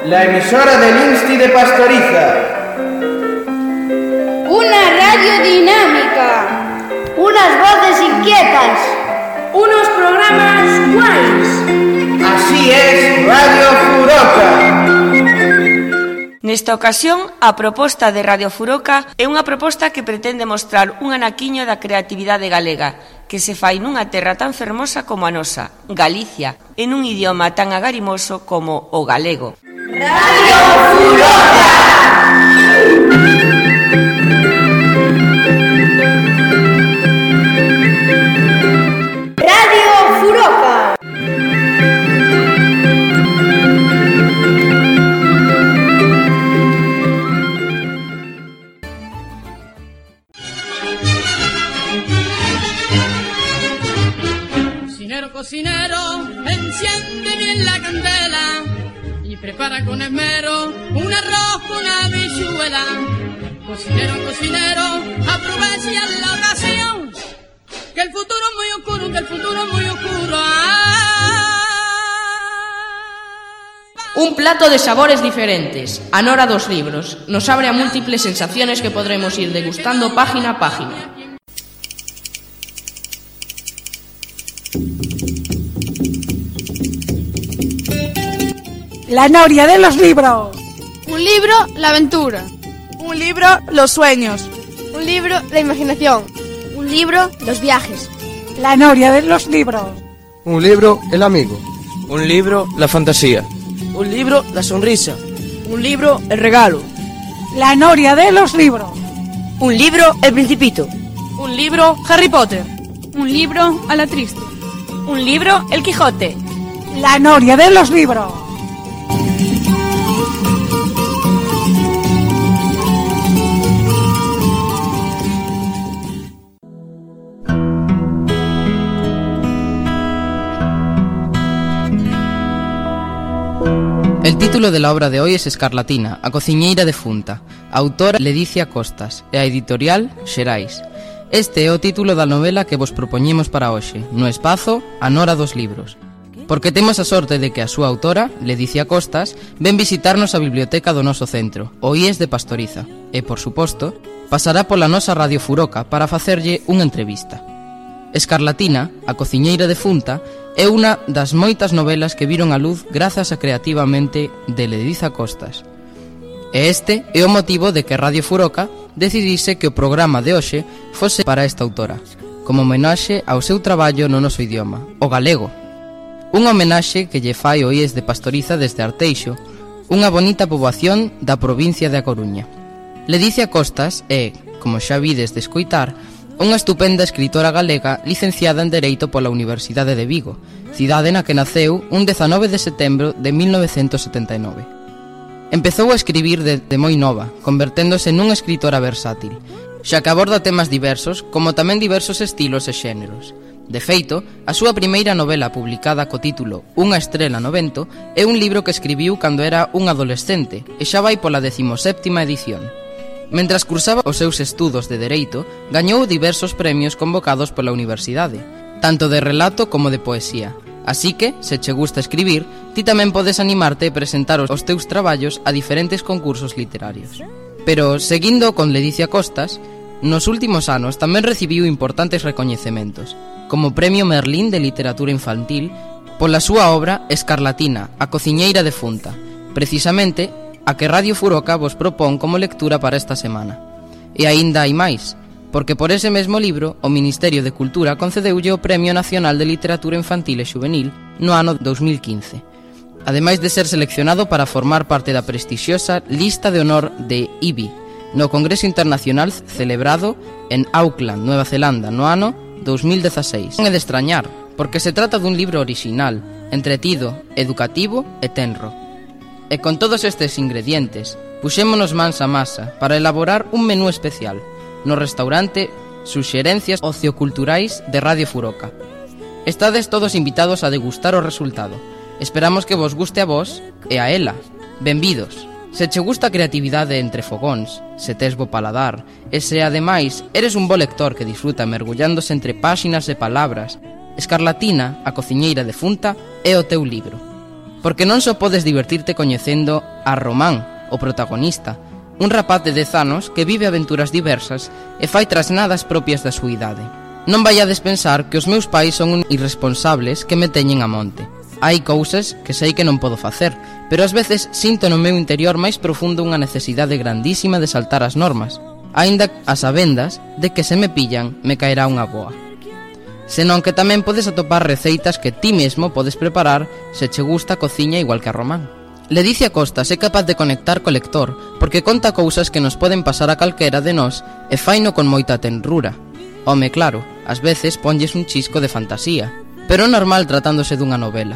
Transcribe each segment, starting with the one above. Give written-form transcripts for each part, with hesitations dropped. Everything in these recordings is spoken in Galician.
la emisora del Insti de Pastoriza. Una radio dinámica. Unas voces inquietas. Unos programas guays. Así es Radio Furoca. Nesta ocasión, a proposta de Radio Furoca é unha proposta que pretende mostrar un anaquiño da creatividade galega que se fai nunha terra tan fermosa como a nosa, Galicia, en un idioma tan agarimoso como o galego. Radio Furoca! Radio Furoca! Cocinero, enciende bien la candela y prepara con esmero un arroz con habichuela. Cocinero, cocinero, aprovecha la ocasión, que el futuro es muy oscuro, que el futuro es muy oscuro. Un plato de sabores diferentes, a nora dos libros, nos abre a múltiples sensaciones que podremos ir degustando página a página. La noria de los libros. Un libro, la aventura. Un libro, los sueños. Un libro, la imaginación. Un libro, los viajes. La noria de los libros. Un libro, el amigo. Un libro, la fantasía. Un libro, la sonrisa. Un libro, el regalo. La noria de los libros. Un libro, el Principito. Un libro, Harry Potter. Un libro, a la triste. Un libro, El Quijote. La noria de los libros. El título de la obra de hoy es Escarlatina, a cociñeira defunta. A autora Ledicia Costas e a editorial Xerais. Este é o título da novela que vos propoñemos para hoxe, no espazo A Nora dos Libros. Porque temos a sorte de que a súa autora, Ledicia Costas, ven visitarnos a biblioteca do noso centro, o IES de Pastoriza, e, por suposto, pasará pola nosa Radio Furoca para facerlle unha entrevista. Escarlatina, a cociñeira defunta, é unha das moitas novelas que viron a luz grazas a creativamente de Ledicia Costas. E este é o motivo de que Radio Furoca decidise que o programa de hoxe fose para esta autora, como homenaxe ao seu traballo no noso idioma, o galego. Unha homenaxe que lle fai o IES de Pastoriza desde Arteixo, unha bonita poboación da provincia de A Coruña. Ledicia Costas é, como xa vides de escoitar, unha estupenda escritora galega licenciada en Dereito pola Universidade de Vigo, cidade na que naceu un 19 de setembro de 1979. Empezou a escribir de moi nova, converténdose nunha escritora versátil, xa que aborda temas diversos, como tamén diversos estilos e xéneros. De feito, a súa primeira novela publicada co título Unha estrela no vento é un libro que escribiu cando era un adolescente e xa vai pola 17ª edición. Mentras cursaba os seus estudos de Dereito, gañou diversos premios convocados pola universidade, tanto de relato como de poesía. Así que, se che gusta escribir, ti tamén podes animarte a presentar os teus traballos a diferentes concursos literarios. Pero, seguindo con Ledicia Costas, nos últimos anos tamén recibiu importantes recoñecementos, como Premio Merlín de Literatura Infantil, pola súa obra Escarlatina, a cociñeira defunta, precisamente a que Radio Furoca vos propón como lectura para esta semana. E aínda hai máis, porque por ese mesmo libro o Ministerio de Cultura concedeulle o Premio Nacional de Literatura Infantil e Xuvenil no ano 2015, ademais de ser seleccionado para formar parte da prestixiosa Lista de Honor de IBI, no Congreso Internacional celebrado en Auckland, Nueva Zelanda, no ano 2016. Non é de extrañar, porque se trata dun libro orixinal, entretido, educativo e tenro. E con todos estes ingredientes, puxémonos mans a masa para elaborar un menú especial no restaurante Suxerencias Ocioculturais de Radio Furoca. Estades todos invitados a degustar o resultado. Esperamos que vos guste a vos e a ela. Benvidos. Se che gusta a creatividade entre fogóns, se tes bo paladar, e se ademais eres un bo lector que disfruta mergullándose entre páxinas e palabras, Escarlatina, a cociñeira defunta, é o teu libro. porque non só podes divertirte coñecendo a Román, o protagonista, un rapaz de 10 anos que vive aventuras diversas e fai trasnadas propias da súa idade. Non vaiades pensar que os meus pais son irresponsables que me teñen a monte. Hai cousas que sei que non podo facer, pero ás veces sinto no meu interior máis profundo unha necesidade grandísima de saltar as normas, aínda a sabendas de que se me pillan me caerá unha boa. Senón que tamén podes atopar receitas que ti mesmo podes preparar se che gusta a cociña igual que a Román. Ledicia Costas é capaz de conectar co lector porque conta cousas que nos poden pasar a calquera de nós e faino con moita tenrura. Home, claro, ás veces ponlles un chisco de fantasía, pero é normal tratándose dunha novela.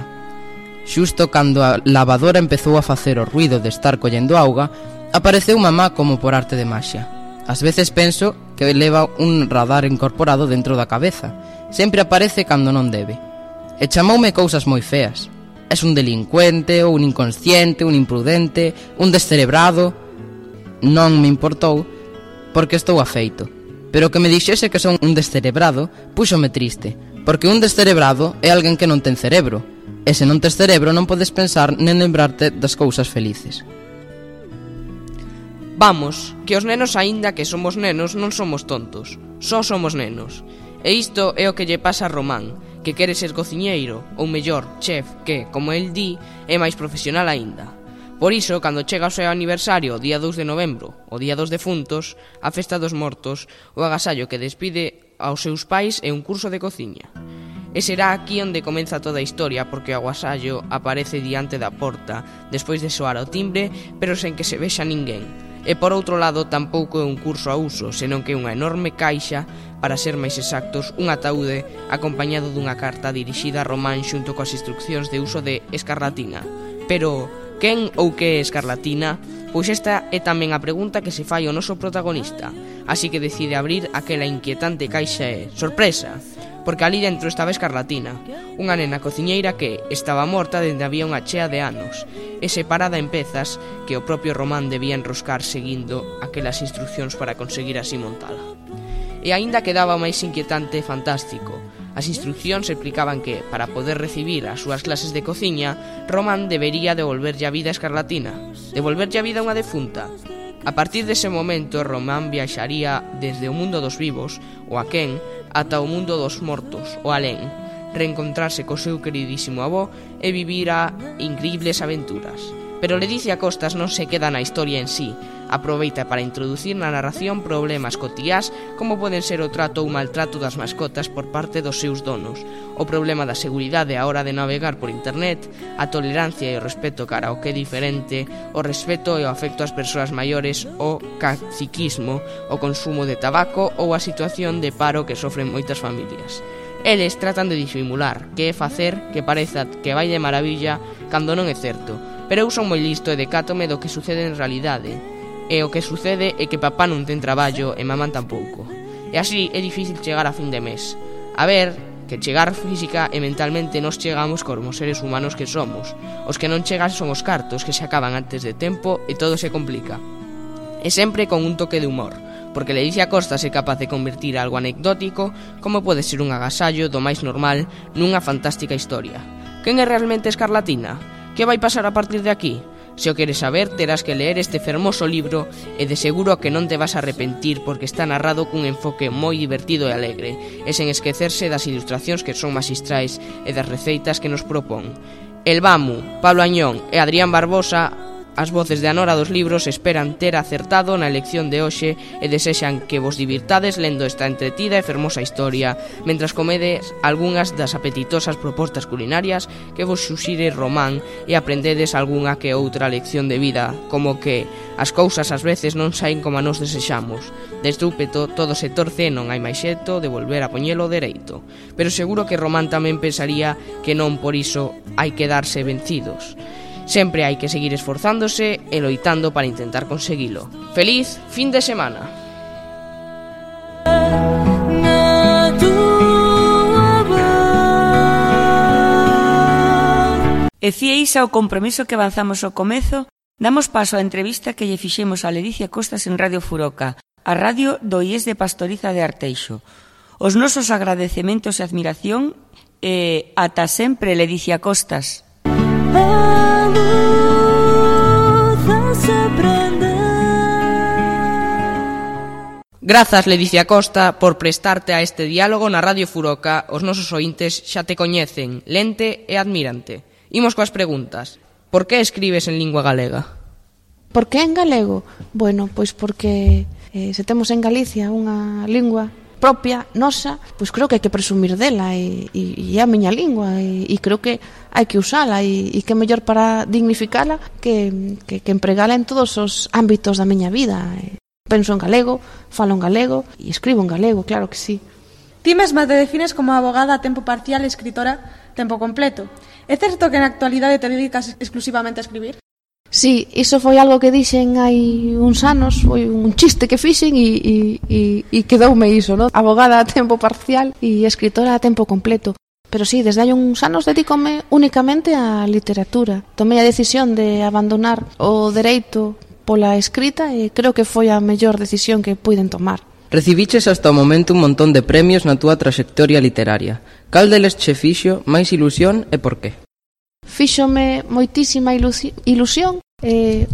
Xusto cando a lavadora empezou a facer o ruido de estar collendo auga, apareceu mamá como por arte de maxia. Ás veces penso que leva un radar incorporado dentro da cabeza. Sempre aparece cando non debe. E chamoume cousas moi feas. Es un delincuente, ou un inconsciente, un imprudente, un descerebrado. Non me importou, porque estou afeito. Pero que me dixese que son un descerebrado, púxome triste, porque un descerebrado é alguén que non ten cerebro, e se non tes cerebro non podes pensar nen lembrarte das cousas felices. Vamos, que os nenos aínda que somos nenos non somos tontos, só somos nenos. E isto é o que lle pasa a Román, que quere ser cociñeiro, ou mellor, chef, que, como el di, é máis profesional aínda. Por iso, cando chega o seu aniversario, o día 2 de novembro, o día dos defuntos, a festa dos mortos, o agasallo que despide aos seus pais é un curso de cociña. E será aquí onde comeza toda a historia, porque o agasallo aparece diante da porta, despois de soar o timbre, pero sen que se vexa ninguén. E por outro lado, tampouco é un curso a uso, senón que é unha enorme caixa, para ser máis exactos, un ataúde acompañado dunha carta dirixida a Román xunto coas instruccións de uso de escarlatina. Pero, quen ou que é escarlatina? Pois esta é tamén a pregunta que se fai o noso protagonista, así que decide abrir aquela inquietante caixa e, sorpresa, porque ali dentro estaba escarlatina, unha nena cociñeira que estaba morta dende había unha chea de anos, e separada en pezas que o propio Román debía enroscar seguindo aquelas instruccións para conseguir así montala. E aínda quedaba máis inquietante e fantástico. As instruccións explicaban que, para poder recibir as súas clases de cociña, Román debería devolverlle a vida a escarlatina, devolverlle a vida a unha defunta. A partir dese momento, Román viaxaría desde o mundo dos vivos, o aquén, ata o mundo dos mortos, o alén, reencontrarse co seu queridísimo avó e vivir a incribles aventuras. Pero Ledicia Costas non se queda na historia en sí, aproveita para introducir na narración problemas cotiás como poden ser o trato ou maltrato das mascotas por parte dos seus donos, o problema da seguridade á hora de navegar por internet, a tolerancia e o respeto cara ao que é diferente, o respeto e o afecto ás persoas maiores, o caciquismo, o consumo de tabaco ou a situación de paro que sofren moitas familias. Eles tratan de disimular que é facer que pareza que vai de maravilla cando non é certo, pero eu son moi listo e decátome do que sucede en realidade. E o que sucede é que papá non ten traballo e mamán tampouco. E así é difícil chegar a fin de mes. A ver, que chegar física e mentalmente nos chegamos como seres humanos que somos. Os que non chegan son os cartos que se acaban antes de tempo e todo se complica. E sempre con un toque de humor, porque Ledicia Costas é capaz de convertir algo anecdótico, como pode ser un agasallo do máis normal, nunha fantástica historia. Quen é realmente escarlatina? Que vai pasar a partir de aquí? Se o queres saber, terás que ler este fermoso libro e de seguro que non te vas a arrepentir porque está narrado cun enfoque moi divertido e alegre e sen esquecerse das ilustracións que son magistrais e das receitas que nos propón. El Bamu, Pablo Añón e Adrián Barbosa, as voces de Anora dos Libros, esperan ter acertado na elección de hoxe e desexan que vos divirtades lendo esta entretida e fermosa historia mentras comedes algunhas das apetitosas propostas culinarias que vos suxire Román e aprendedes algunha que outra lección de vida, como que as cousas ás veces non saen como a nos desexamos. De estúpeto todo se torce e non hai máis xeito de volver a poñelo dereito. Pero seguro que Román tamén pensaría que non por iso hai que darse vencidos. Sempre hai que seguir esforzándose e loitando para intentar conseguilo. Feliz fin de semana. E cieis ao compromiso que avanzamos ao comezo, damos paso á entrevista que lle fixemos a Ledicia Costas en Radio Furoca, a radio do IES de Pastoriza de Arteixo. Os nosos agradecementos e admiración e ata sempre, Ledicia Costas. Grazas, Ledicia Costa, por prestarte a este diálogo na Radio Furoca. Os nosos ointes xa te coñecen, lente e admírante. Imos coas preguntas. Por que escribes en lingua galega? Por que en galego? Bueno, pois porque se temos en Galicia unha lingua propia, nosa, pois creo que hai que presumir dela e é a miña lingua e creo que hai que usala e que é mellor para dignificala que empregala en todos os ámbitos da miña vida. Penso en galego, falo en galego e escribo en galego, claro que sí. Ti mesma te defines como abogada a tempo parcial e escritora tempo completo. É certo que na actualidade te dedicas exclusivamente a escribir? Sí, iso foi algo que dixen hai uns anos, foi un chiste que fixen e quedoume iso, ¿no? Abogada a tempo parcial e escritora a tempo completo. Pero sí, desde hai uns anos dedícome únicamente á literatura. Tomei a decisión de abandonar o dereito pola escrita e creo que foi a mellor decisión que puiden tomar. Recibiches hasta o momento un montón de premios na túa traxectoria literaria. Cal deles che fixo máis ilusión e por qué? Fíxome moitísima ilusión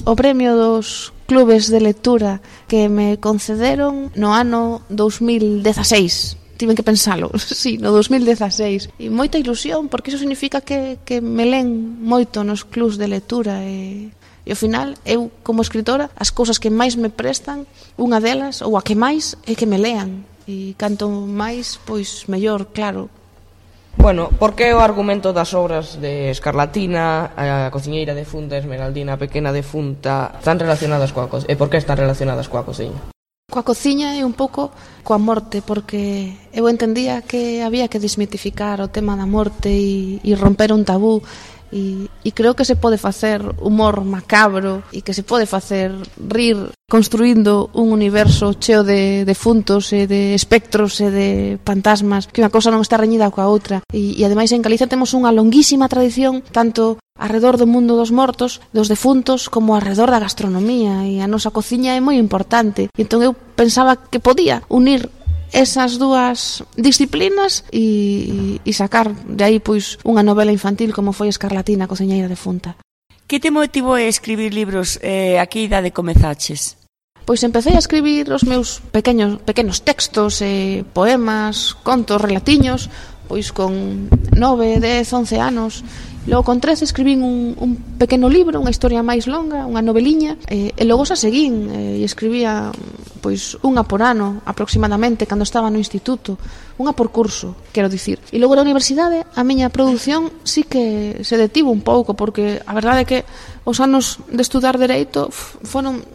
o premio dos clubes de lectura que me concederon no ano 2016. Tiven que pensalo, sí, no 2016. E moita ilusión, porque iso significa que me len moito nos clubs de lectura e ao final, eu, como escritora, as cousas que máis me prestan, unha delas, ou a que máis, é que me lean. E canto máis, pois, mellor, claro. Bueno, por que o argumento das obras de Escarlatina, a cociñeira defunta, Esmeraldina, a pequena defunta, están relacionadas coa cociña? E por que están relacionadas coa cociña? Coa cociña e un pouco coa morte, porque eu entendía que había que desmitificar o tema da morte e romper un tabú. E creo que se pode facer humor macabro e que se pode facer rir construindo un universo cheo de defuntos e de espectros e de fantasmas, que unha cousa non está reñida coa outra. E ademais en Galicia temos unha longuísima tradición tanto arredor do mundo dos mortos, dos defuntos, como arredor da gastronomía, e a nosa cociña é moi importante. E entón eu pensaba que podía unir esas dúas disciplinas e sacar de aí pois unha novela infantil como foi Escarlatina, a cociñeira defunta. Que te motivou a escribir libros a que idade comezaches? Pois empecé a escribir os meus pequenos textos, poemas, contos, relatiños, pois con 9, 10, 11 anos. Logo con 13 escribín un pequeno libro, unha historia máis longa, unha noveliña, e logo xa seguín e escribía pois unha por ano aproximadamente cando estaba no instituto, unha por curso, quero dicir. E logo na universidade a miña produción sí que se detivo un pouco, porque a verdade é que os anos de estudar dereito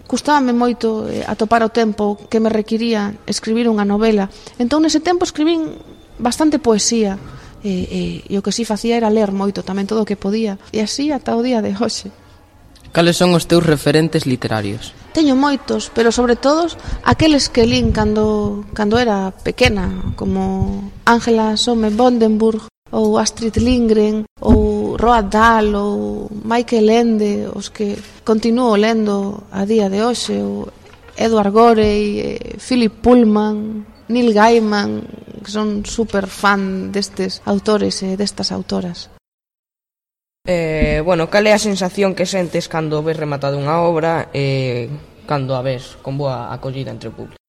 custábame moito atopar o tempo que me requiría escribir unha novela. Entón nese tempo escribín bastante poesía. E o que si facía era ler moito tamén todo o que podía, e así ata o día de hoxe. Cales son os teus referentes literarios? Teño moitos, pero sobre todos aqueles que lín cando era pequena, como Ángela Somme Bondenburg ou Astrid Lindgren ou Roald Dahl ou Michael Ende, os que continuo lendo a día de hoxe, ou Edward Gorey, Philip Pullman, Neil Gaiman, que son super fan destes autores e destas autoras. Bueno, cal é a sensación que sentes cando ves rematada unha obra e cando a ves con boa acollida entre o público?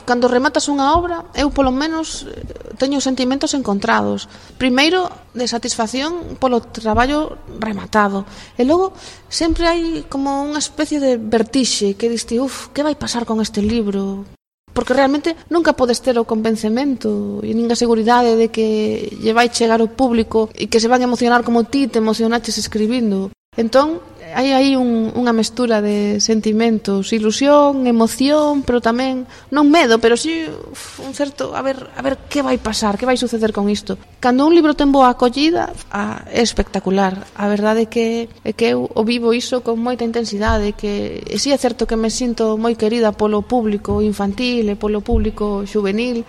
Cando rematas unha obra, eu polo menos teño sentimentos encontrados. Primeiro, de satisfacción polo traballo rematado. E logo, sempre hai como unha especie de vertixe que diste, que vai pasar con este libro? Porque realmente nunca podes ter o convencemento e nin a seguridade de que lle vai chegar o público e que se van a emocionar como ti te emocionaches escribindo. Entón, hai aí unha mestura de sentimentos, ilusión, emoción, pero tamén, non medo, pero si un certo, a ver que vai pasar, que vai suceder con isto. Cando un libro ten boa acollida, é espectacular. A verdade é que eu o vivo iso con moita intensidade, que si é certo que me sinto moi querida polo público infantil e polo público juvenil,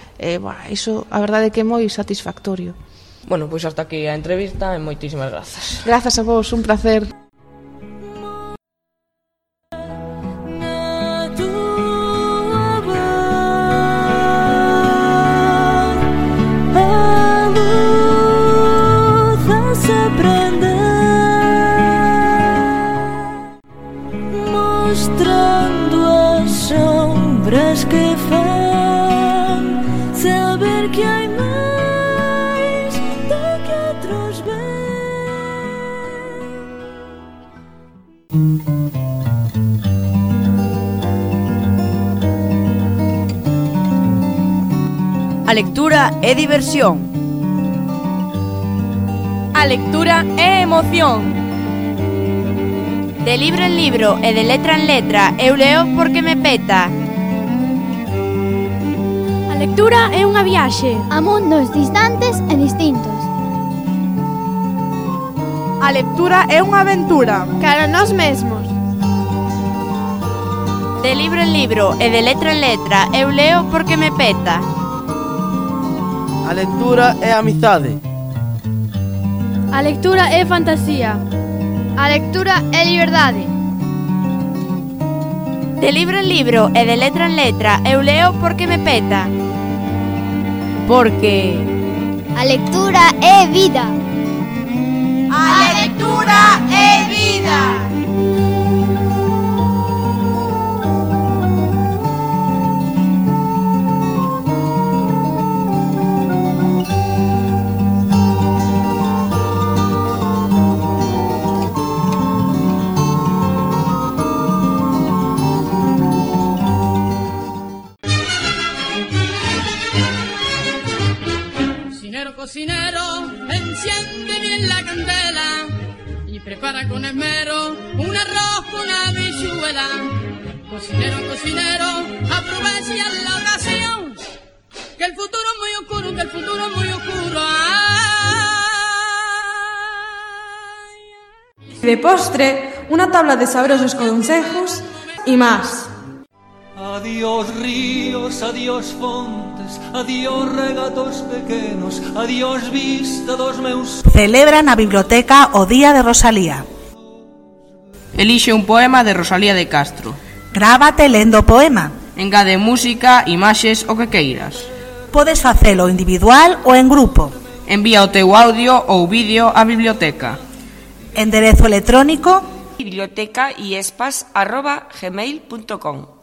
iso a verdade é que é moi satisfactorio. Bueno, pois hasta aquí a entrevista e moitísimas grazas. Grazas a vos, un placer. hai máis do que outros ven. A lectura é diversión. A lectura é emoción. De libro en libro e de letra en letra, eu leo porque me peta. A lectura é unha viaxe A mundos distantes e distintos. A lectura é unha aventura cara a nós mesmos. De libro en libro e de letra en letra, eu leo porque me peta. A lectura é amizade. A lectura é fantasía. A lectura é liberdade. De libro en libro e de letra en letra, eu leo porque me peta. Porque A lectura é vida. A lectura é vida. Cocinero, enciende bien la candela y prepara con esmero un arroz con habichuela. Cocinero, cocinero, aprovecha la ocasión, que el futuro es muy oscuro, que el futuro es muy oscuro. De postre, una tabla de sabrosos consejos y más. Adiós ríos, adiós fontes, adiós regatos pequenos, adiós vista dos meus... Celebra na biblioteca o Día de Rosalía. Elixe un poema de Rosalía de Castro. Grábate lendo o poema. Engade música, imaxes, o que queiras. Podes facelo individual ou en grupo. Envía o teu audio ou vídeo á biblioteca. Enderezo electrónico bibliotecaiespas@gmail.com.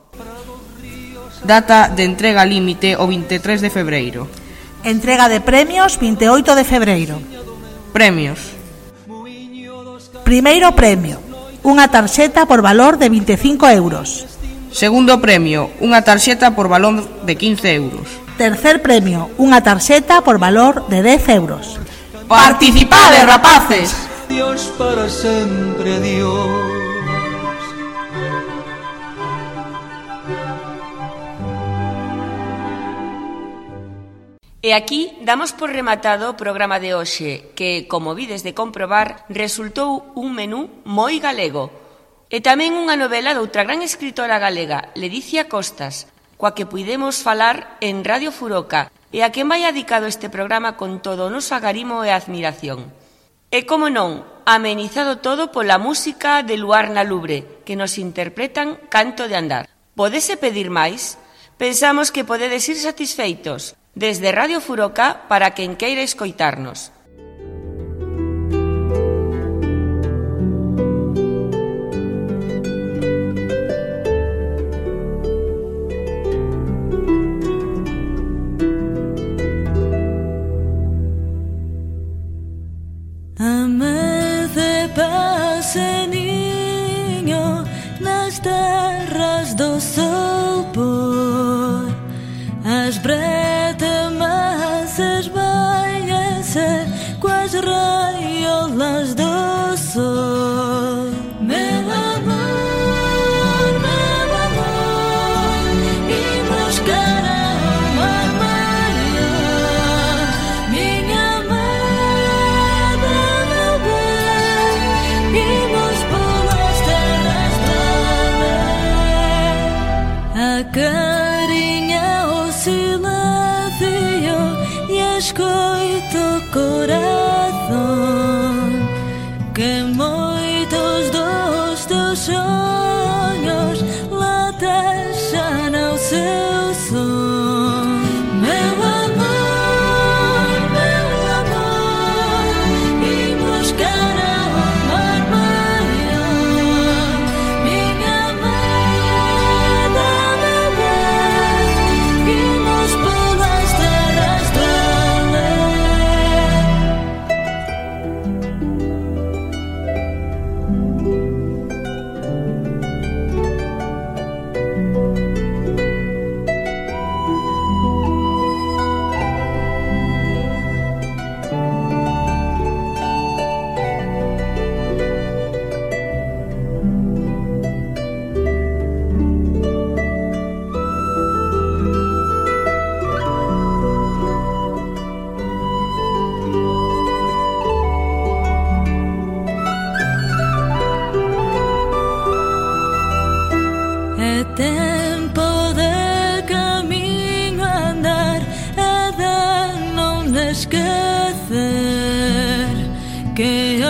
Data de entrega límite o 23 de febreiro. Entrega de premios 28 de febreiro. Premios. Primeiro premio, unha tarxeta por valor de 25 euros. Segundo premio, unha tarxeta por valor de 15 euros. Tercer premio, unha tarxeta por valor de 10 euros. ¡Participade, rapaces! Dios para sempre, Dios. E aquí damos por rematado o programa de hoxe, que, como vides de comprobar, resultou un menú moi galego. E tamén unha novela doutra gran escritora galega, Ledicia Costas, coa que puidemos falar en Radio Furoca, e a quen vai dedicado este programa con todo o noso agarimo e admiración. E, como non, amenizado todo pola música de Luarna Lubre, que nos interpretan Canto de Andar. Podese pedir máis? Pensamos que podedes ir satisfeitos. Desde Radio Furoca para quen queira escoitarnos. Amece paseniño nas terras do sol por as bretemas esbaiense coas raiolas do sol. Meu amor, imos cara ao mar maior. Minha amada, meu bem, imos polas terras do além. A carinha, o silêncio e escoito o coração, que moitos dos teus sonhos lá deixam o seu som. Meu amor, imos cara ao mar maior. Minha amada, meu bem, imos polas terras do esquecer que